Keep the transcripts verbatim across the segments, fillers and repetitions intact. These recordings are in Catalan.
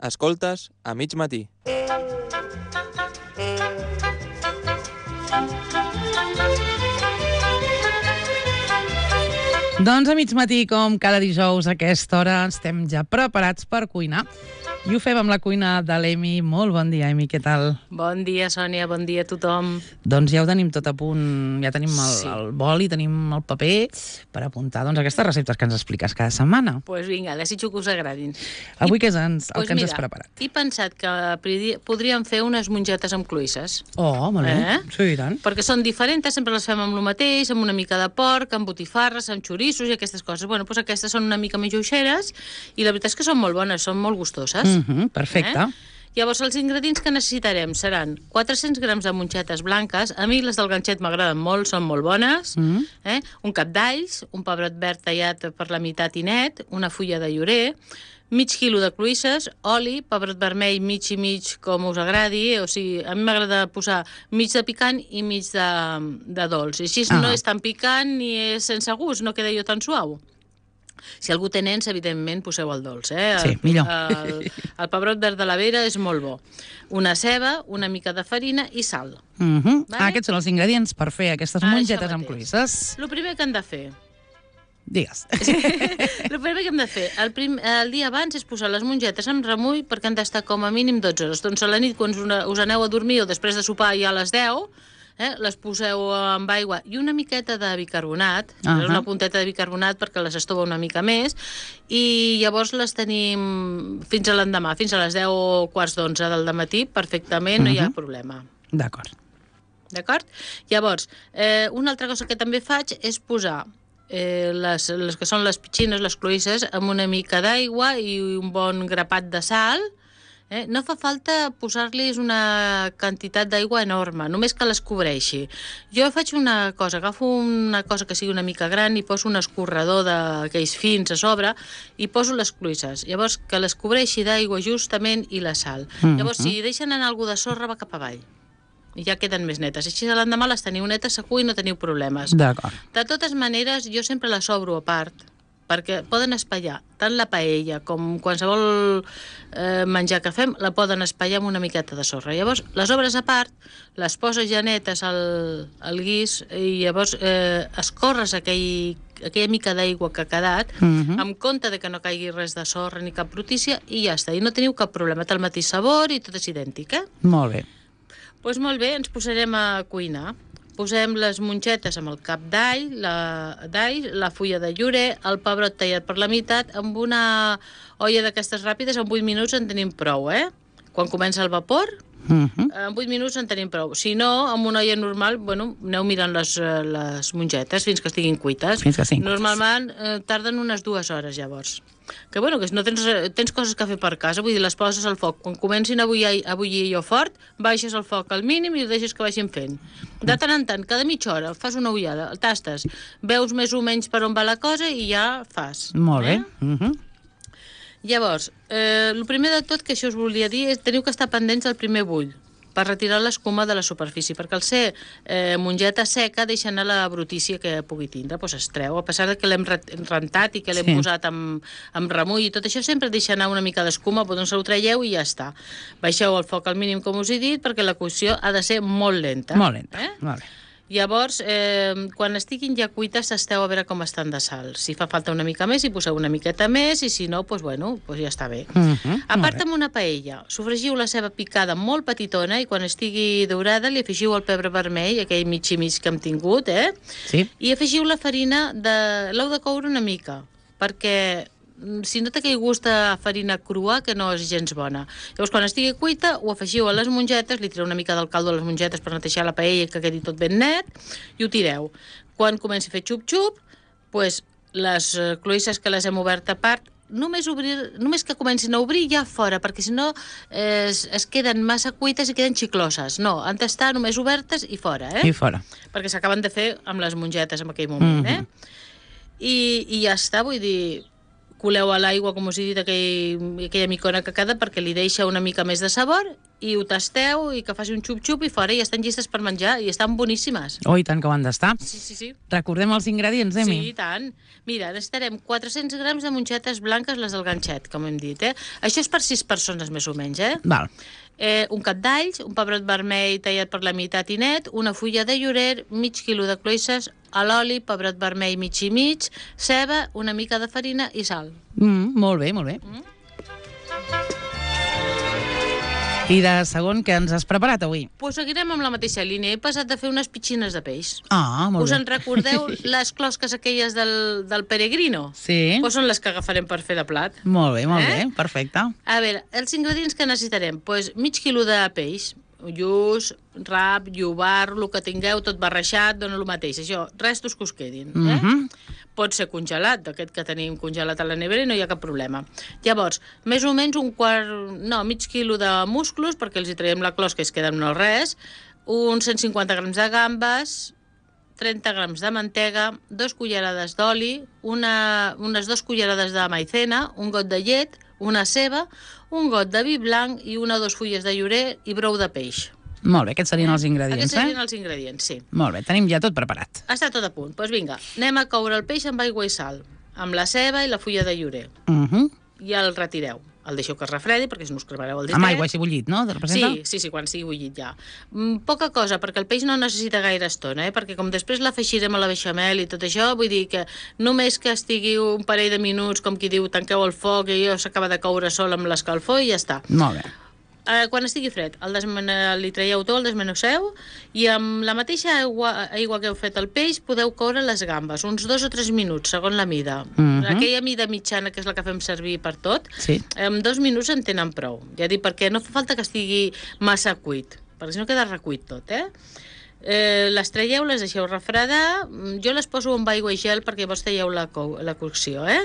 Escoltes a mig matí. Doncs a mig matí, com cada dijous a aquesta hora, estem ja preparats per cuinar. I ho fem amb la cuina de l'Emi. Molt bon dia, Emi, què tal? Bon dia, Sònia, bon dia a tothom. Doncs ja ho tenim tot a punt, ja tenim el, Sí. el boli, tenim el paper per apuntar doncs, aquestes receptes que ens expliques cada setmana. Doncs pues vinga, desitjo que us agradin. Avui I, què és ens, el pues que ens mira, has preparat? He pensat que pridi- podríem fer unes mongetes amb cloïsses. Oh, molt bé. Eh? Sí, i tant. Perquè són diferents, sempre les fem amb el mateix, amb una mica de porc, amb botifarres, amb xorissos i aquestes coses. Bueno, doncs aquestes són una mica més lleugeres i la veritat és que són molt bones, són molt gustoses. Mm -hmm, perfecte. Eh? Llavors, els ingredients que necessitarem seran quatre-cents grams de mongetes blanques. A mi les del ganxet m'agraden molt, són molt bones. Mm -hmm. eh? Un cap d'alls, un pebrot verd tallat per la meitat i net, una fulla de llorer, mig quilo de cloïsses, oli, pebrot vermell mig i mig, com us agradi. O sigui, a mi m'agrada posar mig de picant i mig de, de dolç. I així Ah. no és tan picant ni és sense gust, no queda jo tan suau. Si algú té nens, evidentment, poseu el dolç. Eh? Sí, millor. El, el pebrot verd de la vera és molt bo. Una ceba, una mica de farina i sal. Mm -hmm. Vale. Ah, aquests són els ingredients per fer aquestes Ah, això mongetes amb mateix. cloïsses. El primer que hem de fer... Digues. El primer que hem de fer el, prim, el dia abans és posar les mongetes amb remull perquè han d'estar com a mínim dotze hores. Doncs a la nit, quan us, us aneu a dormir o després de sopar ja a les deu, eh, les poseu amb aigua i una miqueta de bicarbonat, uh Ahà. -huh. una punteta de bicarbonat perquè les estova una mica més, i llavors les tenim fins a l'endemà, fins a les deu o quarts d'onze del dematí, perfectament, uh -huh. no hi ha problema. D'acord. D'acord? Llavors, eh, una altra cosa que també faig és posar eh, les, les que són les petxines, les cloïsses, amb una mica d'aigua i un bon grapat de sal. Eh? No fa falta posar-los una quantitat d'aigua enorme, només que les cobreixi. Jo faig una cosa, agafo una cosa que sigui una mica gran i poso un escorredor d'aquells fins a sobre i poso les cloïsses. Llavors, que les cobreixi d'aigua justament i la sal. Mm-hmm. Llavors, si deixen anar alguna de sorra, va cap avall. I ja queden més netes. Així l'endemà les teniu netes segur i no teniu problemes. D'acord. De totes maneres, jo sempre les obro a part, perquè poden espatllar tant la paella com qualsevol eh, menjar que fem, la poden espatllar amb una miqueta de sorra. Llavors, les obres a part, les poses ja netes al, al guix i llavors eh, escorres aquell, aquella mica d'aigua que ha quedat, Mhm. amb compte de que no caigui res de sorra ni cap brutícia, i ja està. I no teniu cap problema. Té el mateix sabor i tot és idèntic, eh? Molt bé. Doncs molt bé, ens posarem a cuinar. Posem les mongetes amb el cap d'all, la, d'all, la fulla de llorer, el pebrot tallat per la meitat, amb una olla d'aquestes ràpides, en vuit minuts en tenim prou, eh? Quan comença el vapor, Mm -hmm. en vuit minuts en tenim prou. Si no, amb una olla normal, bueno, aneu mirant les, eh, les mongetes fins que estiguin cuites. Fins que estiguin cuites. Normalment eh, tarden unes dues hores, llavors. Que bueno, que no tens, tens coses que fer per casa, vull dir, les poses al foc. Quan comencin a bullir, a bullir allò fort, baixes el foc al mínim i ho deixes que vagin fent. De tant en tant, cada mitja hora, fas una ullada, el tastes, veus més o menys per on va la cosa i ja fas. Molt bé. Eh? Mm -hmm. Llavors, eh, el primer de tot que això us volia dir és teniu que estar pendents del primer bull per retirar l'escuma de la superfície, perquè al ser eh, mongeta seca deixa anar la brutícia que pugui tindre, doncs es treu, a pesar de que l'hem rentat i que l'hem Sí. posat amb, amb remull i tot això, sempre deixa anar una mica d'escuma, doncs se ho traieu i ja està. Baixeu el foc al mínim, com us he dit, perquè la cocció ha de ser molt lenta. Molt lenta. Eh? Molt bé. Llavors, eh, quan estiguin ja cuites, tasteu a veure com estan de sal. Si fa falta una mica més, hi poseu una miqueta més, i si no, doncs, bueno, doncs ja està bé. Mm -hmm. A part, amb una paella, sofregiu la ceba picada molt petitona i quan estigui daurada li afegiu el pebre vermell, aquell mig i mig que hem tingut, eh? Sí. I afegiu la farina, de l'heu de coure una mica, perquè si no té aquell gust de farina crua, que no és gens bona. Llavors, quan estigui cuita, ho afegiu a les mongetes, li tireu una mica del caldo a les mongetes per netejar la paella, que quedi tot ben net, i ho tireu. Quan comenci a fer xup-xup, doncs les cloïsses que les hem obert a part, només, obrir, només que comencin a obrir ja fora, perquè si no eh, es, es queden massa cuites i queden xicloses. No, han d'estar només obertes i fora, eh? I fora. Perquè s'acaben de fer amb les mongetes en aquell moment, Mhm. eh? I, I ja està, vull dir... coleu a l'aigua, com us he dit, aquell, aquella micona que queda, perquè li deixa una mica més de sabor, i ho tasteu, i que faci un xup-xup, i fora, i estan llistes per menjar, i estan boníssimes. Oh, i tant que ho han d'estar. Sí, sí, sí. Recordem els ingredients, Emi. Sí, i tant. Mira, necessitarem quatre-cents grams de mongetes blanques, les del ganxet, com hem dit, eh? Això és per sis persones, més o menys, eh? Val. Eh, un cap d'alls, un pebrot vermell tallat per la meitat i net, una fulla de llorer, mig quilo de cloïsses, a l'oli, pebrot vermell mig i mig, ceba, una mica de farina i sal. Mm, molt bé, molt bé. Mm. I de segon, què ens has preparat avui? Pues seguirem amb la mateixa línia. He passat de fer unes pitxines de peix. Ah, molt Us bé. en recordeu les closques aquelles del, del peregrino? Sí. Pues són les que agafarem per fer de plat. Molt bé, molt Eh? bé, perfecte. A veure, els ingredients que necessitarem, pues, mig quilo de peix, lluç, rap, llobar, el que tingueu, tot barrejat, dona el mateix. Això, restos que us quedin. Eh? Mhm. Pot ser congelat, d'aquest que tenim congelat a la nevera i no hi ha cap problema. Llavors, més o menys un quart, no, mig quilo de musclos, perquè els hi traiem la closca i es queden no res, uns cent cinquanta grams de gambes, trenta grams de mantega, dos cullerades d'oli, una, unes dues cullerades de maicena, un got de llet, una ceba, un got de vi blanc i una o dues fulles de llorer i brou de peix. Molt bé, aquests serien els Aquests ingredients, serien eh? els ingredients, sí. Molt bé, tenim ja tot preparat. Està tot a punt. Doncs pues vinga, anem a coure el peix amb aigua i sal, amb la ceba i la fulla de llorer. Mhm. I el retireu. El deixeu que es refredi, perquè si no us cremareu el disc. Amb aigua així bullit, no? Te representa? Sí, sí, sí, quan sigui bullit ja. Mm, poca cosa, perquè el peix no necessita gaire estona, eh? Perquè com després l'afegirem a la beixamel i tot això, vull dir que només que estigui un parell de minuts, com qui diu, tanqueu el foc i allò s'acaba de coure sol amb l'escalfor i ja està. Molt bé. Eh, quan estigui fred, el desmene... li traieu tot, el desmenusseu, i amb la mateixa aigua, aigua que heu fet el peix podeu coure les gambes, uns dos o tres minuts, segons la mida. Mhm. Aquella mida mitjana, que és la que fem servir per tot, Sí. en dos minuts en tenen prou. Ja dic, perquè no fa falta que estigui massa cuit, perquè si no queda recuit tot, eh? Eh, les traieu, les deixeu refredar, jo les poso amb aigua i gel perquè llavors talleu la, co la cocció, eh?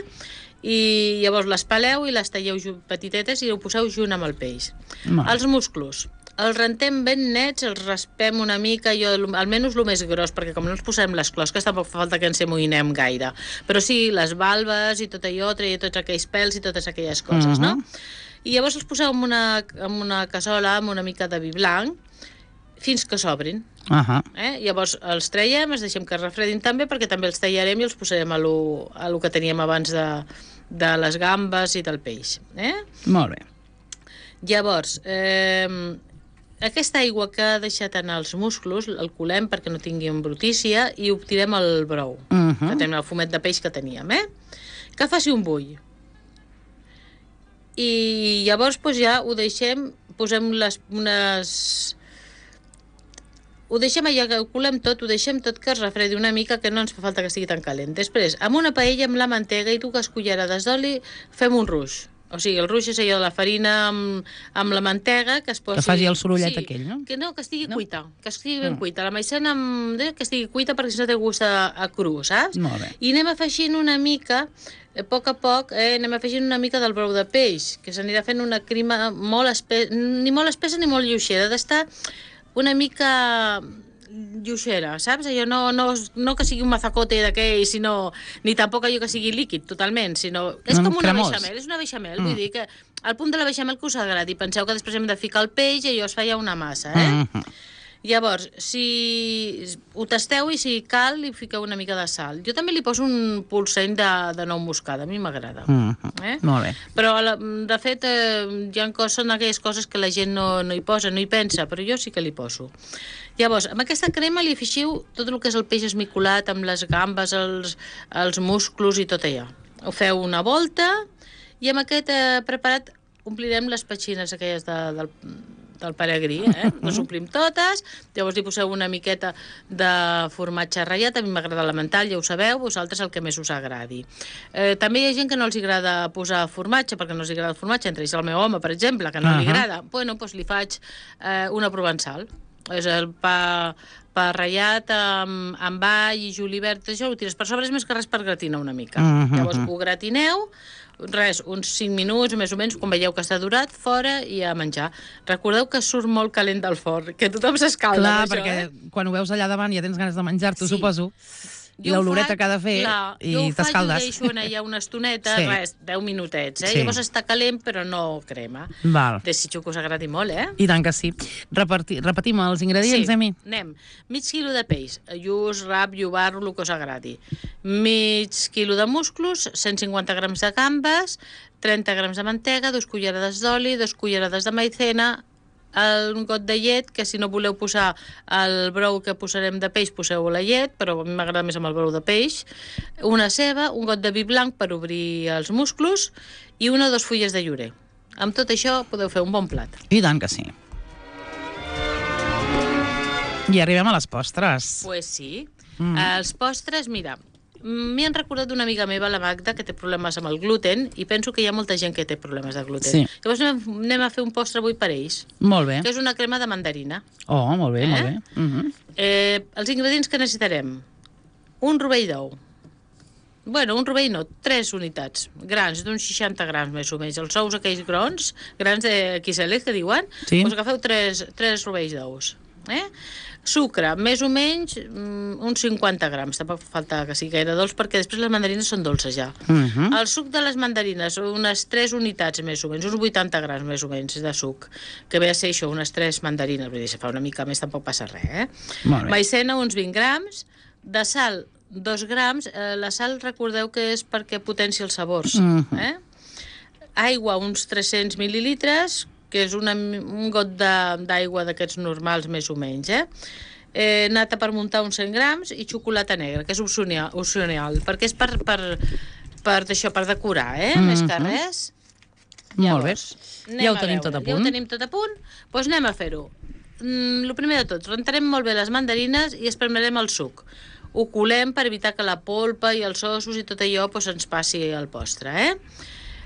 I llavors les peleu i les talleu petitetes i ho poseu junt amb el peix. Molt bé. Els musclos, els rentem ben nets, els raspem una mica, jo almenys el més gros, perquè com no ens posem les closques tampoc fa falta que ens amoïnem gaire. Però sí, les valves i tot allò, treia tots aquells pèls i totes aquelles coses, Mhm. no? I llavors els poseu en una, en una cassola amb una mica de vi blanc fins que s'obrin. Ahà. Eh? Llavors els traiem, els deixem que es refredin també, perquè també els tallarem i els posarem a lo, a lo que teníem abans de, de les gambes i del peix. Eh? Molt bé. Llavors, eh, aquesta aigua que ha deixat anar els musclos, el colem perquè no tingui embrutícia i obtirem el brou, Mhm. que tenim el fumet de peix que teníem, eh? Que faci un bull. I llavors doncs, ja ho deixem, posem les, unes... Ho deixem allà, que ho colem tot, ho deixem tot que es refredi una mica, que no ens fa falta que estigui tan calent. Després, amb una paella amb la mantega i dues cullerades d'oli, fem un ruix. O sigui, el ruix és allò de la farina amb, amb la mantega, que es posi... Que faci el sorollet aquell, no? Que no, que estigui No? cuita, que estigui ben Mm. cuita. La maicena amb... que estigui cuita perquè si no té gust a, a cru, saps? Molt bé. I anem afegint una mica, a poc a poc, eh, anem afegint una mica del brou de peix, que s'anirà fent una crema molt espessa, ni molt espessa ni molt lleugera, ha d'estar una mica lluixera, saps? Allò no, no, no que sigui un mazacote d'aquell, sinó, ni tampoc allò que sigui líquid totalment, sinó... És No, com una cremós. beixamel, és una beixamel, Mm. vull dir que al punt de la beixamel que us agradi. Penseu que després hem de ficar el peix i allò es fa ja una massa, eh? Mhm. Llavors, si ho tasteu i si cal, li fiqueu una mica de sal. Jo també li poso un polseny de, de nou moscada, a mi m'agrada. Mhm. Eh? Molt bé. Però, la- de fet, eh, hi ha coses, són aquelles coses que la gent no, no hi posa, no hi pensa, però jo sí que li poso. Llavors, amb aquesta crema li afegiu tot el que és el peix esmicolat, amb les gambes, els, els musclos i tot allò. Ho feu una volta i amb aquest eh, preparat omplirem les petxines aquelles de, del, del peregrí, eh? Les omplim totes, llavors li poseu una miqueta de formatge ratllat, a mi m'agrada l'emmental, ja ho sabeu, vosaltres el que més us agradi. Eh, també hi ha gent que no els agrada posar formatge, perquè no els agrada el formatge, entre ells el meu home, per exemple, que no li Ahà. agrada. Bueno, doncs li faig eh, una provençal. És el pa, pa ratllat amb, amb all i julivert, això ho tires per sobre, és més que res per gratinar una mica. Mhm. Llavors ho gratineu, res, uns cinc minuts més o menys, quan veieu que està durat, fora i a menjar. Recordeu que surt molt calent del forn, que tothom s'escalda Clar, amb això, perquè eh? quan ho veus allà davant ja tens ganes de menjar-t'ho, Sí. suposo. i l'oloreta que ha de fer, clar, i jo ho faig, t'escaldes. ho deixo anar allà una estoneta, Sí. res, deu minutets, eh? Sí. Llavors està calent, però no crema. Val. Desitjo que us agradi molt, eh? I tant que sí. Reparti, repetim els ingredients, Sí, Emi? anem. Mig quilo de peix, lluç, rap, llobarro, el que us agradi. Mig quilo de musclos, cent cinquanta grams de gambes, trenta grams de mantega, dos cullerades d'oli, dos cullerades de maicena, un got de llet, que si no voleu posar el brou que posarem de peix, poseu la llet, però a mi m'agrada més amb el brou de peix, una ceba, un got de vi blanc per obrir els musclos i una o dos fulles de llorer. Amb tot això podeu fer un bon plat. I tant que sí. I arribem a les postres. Pues sí. Mm. Els postres, mira, m'hi han recordat d'una amiga meva, la Magda, que té problemes amb el gluten, i penso que hi ha molta gent que té problemes de gluten. Sí. Llavors anem, anem a fer un postre avui per ells, Molt bé. que és una crema de mandarina. Oh, molt bé, Eh? molt bé. Uh -huh. Eh, els ingredients que necessitarem. Un rovell d'ou. Bueno, un rovell no, tres unitats. Grans, d'uns seixanta grams més o menys. Els ous aquells grans, grans de quiselet, que diuen, Sí. doncs agafeu tres, tres rovells d'ous. Eh? Sucre, més o menys mm, uns cinquanta grams, tampoc fa falta que sigui gaire dolç, perquè després les mandarines són dolces ja. Uh -huh. El suc de les mandarines, unes tres unitats més o menys, uns vuitanta grams més o menys de suc, que ve a ser això, unes tres mandarines, vull dir, si fa una mica més tampoc passa res, eh? Molt bé. Maicena, uns vint grams, de sal, dos grams, eh, la sal recordeu que és perquè potencia els sabors, Mhm. eh? Aigua, uns tres-cents mil·lilitres, que és una, un got de- d'aigua d'aquests normals més o menys, eh? Eh, nata per muntar uns cent grams i xocolata negra, que és opcional, opcional perquè és per, per, per, això, per decorar, eh? Mhm. Més que res. Molt bé. anem Ja ho a tenim veure. tot a Ja ho punt. tenim tot a punt, doncs anem a fer-ho. Mm, el primer de tot, rentarem molt bé les mandarines i espremerem el suc. Ho colem per evitar que la polpa i els ossos i tot allò doncs, ens passi al postre, eh?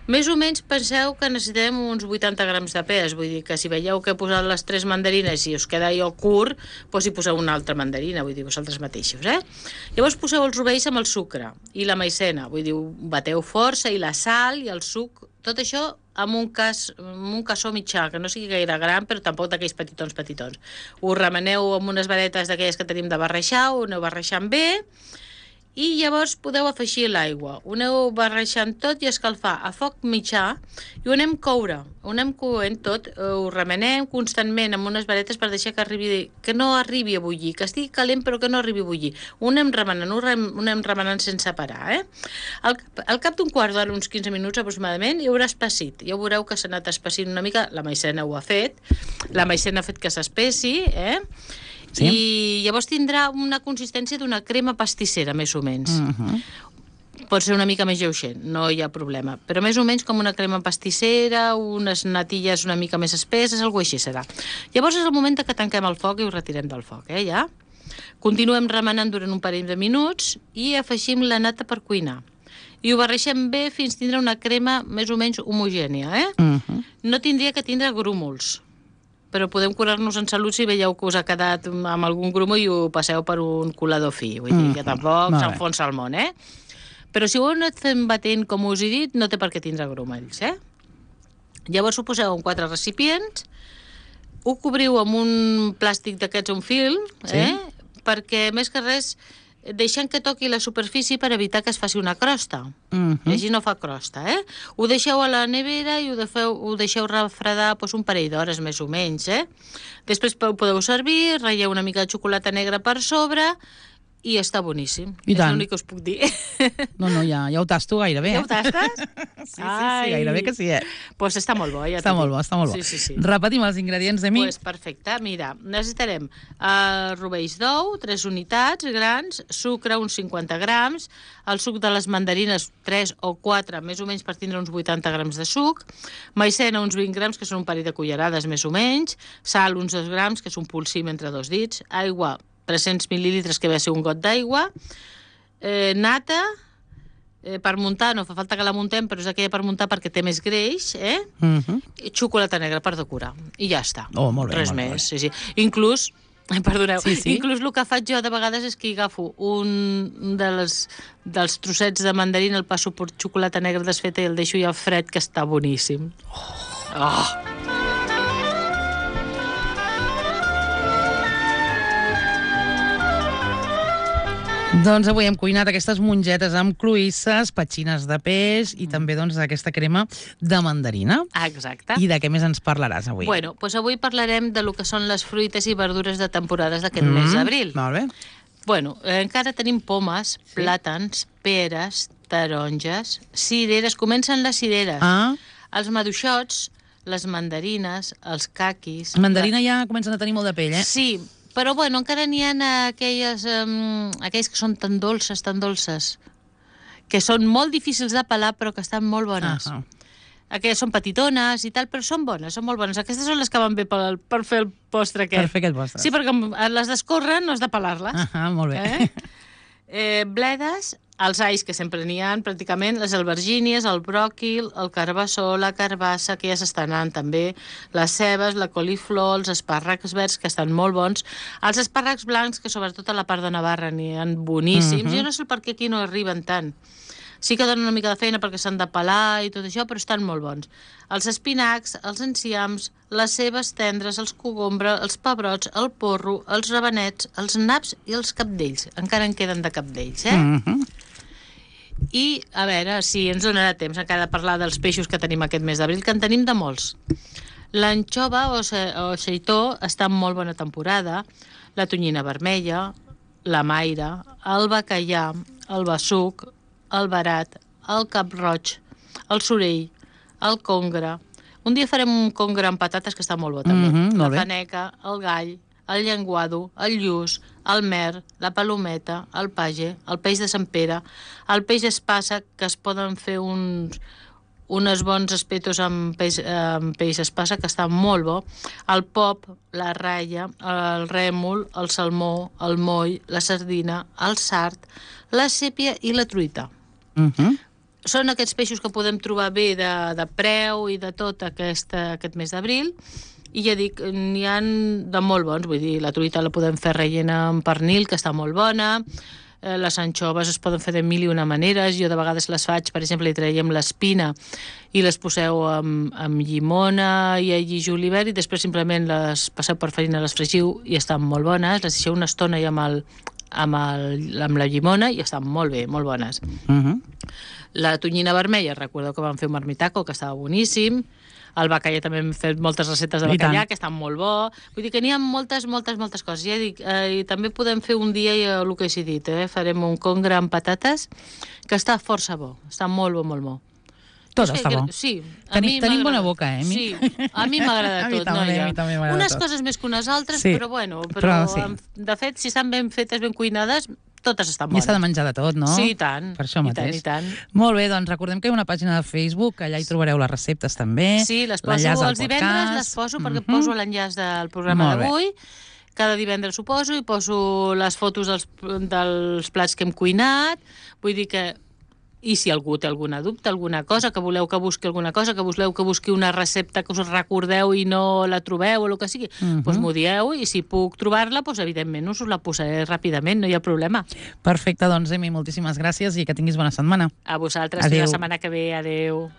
Més o menys penseu que necessitem uns vuitanta grams de pes, vull dir que si veieu que he posat les tres mandarines i us queda allò curt, doncs hi poseu una altra mandarina, vull dir, vosaltres mateixos, eh? Llavors poseu els rovells amb el sucre i la maicena, vull dir, ho bateu força, i la sal i el suc, tot això amb un, cas, amb un cassó mitjà, que no sigui gaire gran, però tampoc d'aquells petitons, petitons. Ho remeneu amb unes varetes d'aquelles que tenim de barreixar, ho aneu barreixant bé, i llavors podeu afegir l'aigua. Ho aneu barrejant tot i escalfar a foc mitjà i ho anem coure. Ho anem coent tot, ho remenem constantment amb unes varetes per deixar que, arribi, que no arribi a bullir, que estigui calent però que no arribi a bullir. Ho anem remenant, ho, rem, ho anem remenant sense parar. Eh? Al, al cap d'un quart d'hora, uns quinze minuts aproximadament, hi haurà espessit. Ja veureu que s'ha anat espessint una mica, la maicena ho ha fet, la maicena ha fet que s'espessi, eh? Sí. I llavors tindrà una consistència d'una crema pastissera, més o menys. Uh -huh. Pot ser una mica més lleuger, no hi ha problema. Però més o menys com una crema pastissera, unes natilles una mica més espesses, alguna així serà. Llavors és el moment que tanquem el foc i ho retirem del foc, eh, ja? Continuem remenant durant un parell de minuts i afegim la nata per cuinar. I ho barreixem bé fins tindre una crema més o menys homogènia, eh? Uh -huh. No tindria que tindre grúmols, però podem curar-nos en salut si veieu que us ha quedat amb algun grumo i ho passeu per un colador fi. Vull dir que tampoc s'enfonsa el món, eh? Però si ho heu anat fent batent, com us he dit, no té per què tindre grumells, eh? Llavors ho poseu en quatre recipients, ho cobriu amb un plàstic d'aquests, un film, eh? Sí. Perquè, més que res, deixant que toqui la superfície per evitar que es faci una crosta. Uh -huh. I així no fa crosta, eh? Ho deixeu a la nevera i ho, defeu, ho deixeu refredar doncs, un parell d'hores, més o menys, eh? Després ho podeu servir, ratlleu una mica de xocolata negra per sobre i està boníssim. I és tant. l'únic que us puc dir. No, no, ja, ja ho tasto gairebé. Ja ho tastes? Sí, sí, sí, gairebé que sí, eh? Doncs pues està molt bo, ja Està molt bo, està molt bo. Sí, sí, sí. Repetim els ingredients de mi. Pues perfecte, mira, necessitarem uh, rovells d'ou, tres unitats grans, sucre, uns cinquanta grams, el suc de les mandarines, tres o quatre, més o menys per tindre uns vuitanta grams de suc, maicena, uns vint grams, que són un parell de cullerades, més o menys, sal, uns dos grams, que és un polsim entre dos dits, aigua, tres-cents mil·lilitres, que ve a ser un got d'aigua, eh, nata, eh, per muntar, no fa falta que la muntem, però és aquella per muntar perquè té més greix, eh? Uh -huh. I xocolata negra per decorar. I ja està. Oh, molt bé, Res molt bé. més. Sí, sí. Inclús, perdoneu, Sí, sí. inclús el que faig jo de vegades és que agafo un de les, dels trossets de mandarina, el passo per xocolata negra desfeta i el deixo ja fred, que està boníssim. Oh! Oh. Doncs avui hem cuinat aquestes mongetes amb cloïsses, petxines de peix i també doncs aquesta crema de mandarina. Ah, exacte. I de què més ens parlaràs avui? Bueno, doncs avui parlarem de lo que són les fruites i verdures de temporades d'aquest Mm, mes d'abril. Molt bé. Bueno, eh, encara tenim pomes, plàtans, peres, taronges, cireres. Comencen les cireres. Ah, Els maduixots, les mandarines, els caquis... mandarina ja comencen a tenir molt de pell, eh? Sí, però bueno, encara n'hi ha aquelles, um, aquelles que són tan dolces, tan dolces, que són molt difícils de pelar però que estan molt bones. Ah, Aquelles són petitones i tal, però són bones, són molt bones. Aquestes són les que van bé per, per fer el postre aquest. per fer aquest postre. Sí, perquè les d'escórrer no has de pelar-les. Ah, molt bé. Eh? Eh, bledes, els alls que sempre n'hi ha, pràcticament, les albergínies, el bròquil, el carbassó, la carbassa, que ja s'estan anant també, les cebes, la coliflor, els espàrrecs verds, que estan molt bons, els espàrrecs blancs, que sobretot a la part de Navarra n'hi ha boníssims. Mhm. Jo no sé per què aquí no arriben tant. Sí que donen una mica de feina perquè s'han de pelar i tot això, però estan molt bons. Els espinacs, els enciams, les cebes tendres, els cogombres, els pebrots, el porro, els rabanets, els naps i els capdells. Encara en queden de capdells, eh? Mhm. I, a veure, si ens donarà temps encara de parlar dels peixos que tenim aquest mes d'abril, que en tenim de molts. L'anxova o, se, o xeitó està en molt bona temporada, la tonyina vermella, la maire, el bacallà, el bessuc, el barat, el cap-roig, el sorell, el congre. Un dia farem un congre amb patates que està molt bo també. Mhm, molt bé. La faneca, el gall, el llenguado, el lluç, el mer, la palometa, el page, el peix de Sant Pere, el peix espassa, que es poden fer uns, unes bons espetos amb peix, amb peix espassa, que està molt bo, el pop, la ratlla, el rèmol, el salmó, el moll, la sardina, el sard, la sèpia i la truita. Mhm. Són aquests peixos que podem trobar bé de, de preu i de tot aquest, aquest mes d'abril, i ja dic, n'hi ha de molt bons, vull dir, la truita la podem fer rellena amb pernil, que està molt bona, eh, les anxoves es poden fer de mil i una maneres, jo de vegades les faig, per exemple, li traiem l'espina i les poseu amb, amb llimona i allí julivert i després simplement les passeu per farina, les fregiu i estan molt bones, les deixeu una estona i amb, el, amb, el, amb la llimona i estan molt bé, molt bones. Mhm. La tonyina vermella, recordeu que vam fer un marmitaco, que estava boníssim. El bacallà també hem fet moltes receptes de I bacallà, tant. que estan molt bo. Vull dir que n'hi ha moltes, moltes, moltes coses. Ja dic, eh, i també podem fer un dia, eh, el que he decidit, eh? Farem un congre amb patates, que està força bo. Està molt bo, molt bo. Tot No sé, està bo. que- Sí. a Tenim- mi tenim m'agrada. bona boca, eh, Emi? Sí, a mi m'agrada A mi tot, també, noia. a mi també m'agrada Unes tot. coses més que unes altres, Sí, però bueno, però, però sí. em- de fet, si estan ben fetes, ben cuinades, totes estan I bones. s'ha de menjar de tot, no? Sí, i tant. Per això I mateix. tant, i tant. Molt bé, doncs recordem que hi ha una pàgina de Facebook, allà hi trobareu les receptes també. Sí, les poso l'enllaç al els divendres, podcast. les poso perquè Mhm. poso l'enllaç del programa Molt bé. d'avui. Cada divendres ho poso i poso les fotos dels, dels plats que hem cuinat. Vull dir que... I si algú té alguna dubte, alguna cosa, que voleu que busqui alguna cosa, que voleu que busqui una recepta que us recordeu i no la trobeu o el que sigui, Mhm. doncs m'ho dieu i si puc trobar-la, doncs evidentment us la posaré ràpidament, no hi ha problema. Perfecte, doncs, Emi, moltíssimes gràcies i que tinguis bona setmana. A vosaltres, Adéu. fins la setmana que ve. Adéu.